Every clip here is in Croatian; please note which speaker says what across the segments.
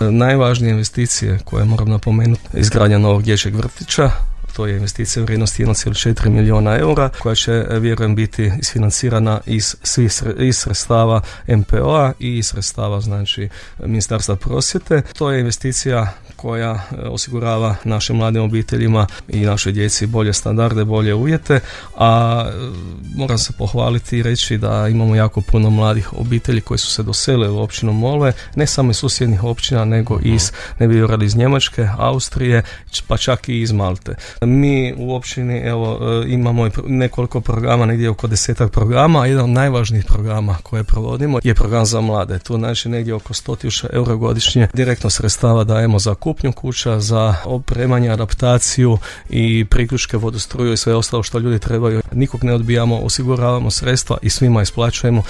Speaker 1: Najvažnije investicije koje moram napomenuti, izgradnja novog dječjeg vrtića. To je investicija u vrijednosti 1,4 milijuna eura koja će, vjerujem, biti isfinancirana iz sredstava MPO-a i iz sredstava, znači, Ministarstva prosvjete. To je investicija koja osigurava našim mladim obiteljima i našoj djeci bolje standarde, bolje uvjete, a moram se pohvaliti i reći da imamo jako puno mladih obitelji koji su se doselili u općinu Molve, ne samo iz susjednih općina, nego iz Njemačke, Austrije, pa čak i iz Malte. Mi u općini imamo nekoliko programa, negdje oko 10 programa, a jedan od najvažnijih programa koje provodimo je program za mlade. Tu znači negdje oko 100.000 eura godišnje direktno sredstava dajemo za kupnju kuća, za opremanje, adaptaciju i priključke, vodostruju i sve ostalo što ljudi trebaju. Nikog ne odbijamo, osiguravamo sredstva i svima isplaćujemo.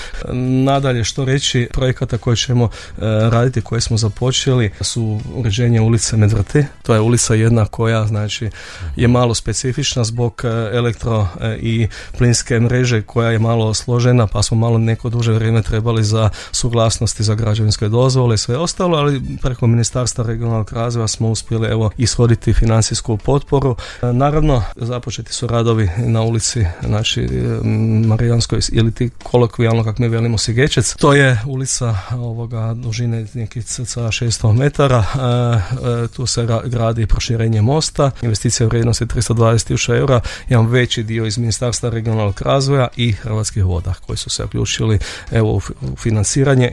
Speaker 1: Nadalje, što reći, projekata koje ćemo raditi, koje smo započeli, su uređenje ulice Medvrti. To je ulica jedna koja, znači, je malo specifična zbog elektro i plinske mreže koja je malo složena, pa smo malo neko duže vrijeme trebali za suglasnosti za građevinske dozvole i sve ostalo, ali preko Ministarstva regionalnog razvoja smo uspjeli ishoditi financijsku potporu. Naravno, započeti su radovi na ulici, znači, Marijanskoj, ili ti kolokvijalno, kako mi velimo, Sigečec. To je ulica dužine nekih cca 600 metara. Tu se gradi proširenje mosta, investicija u vrijednosti 320.000 eura, jedan veći dio iz Ministarstva regionalnog razvoja i Hrvatskih voda koji su se uključili u financiranje.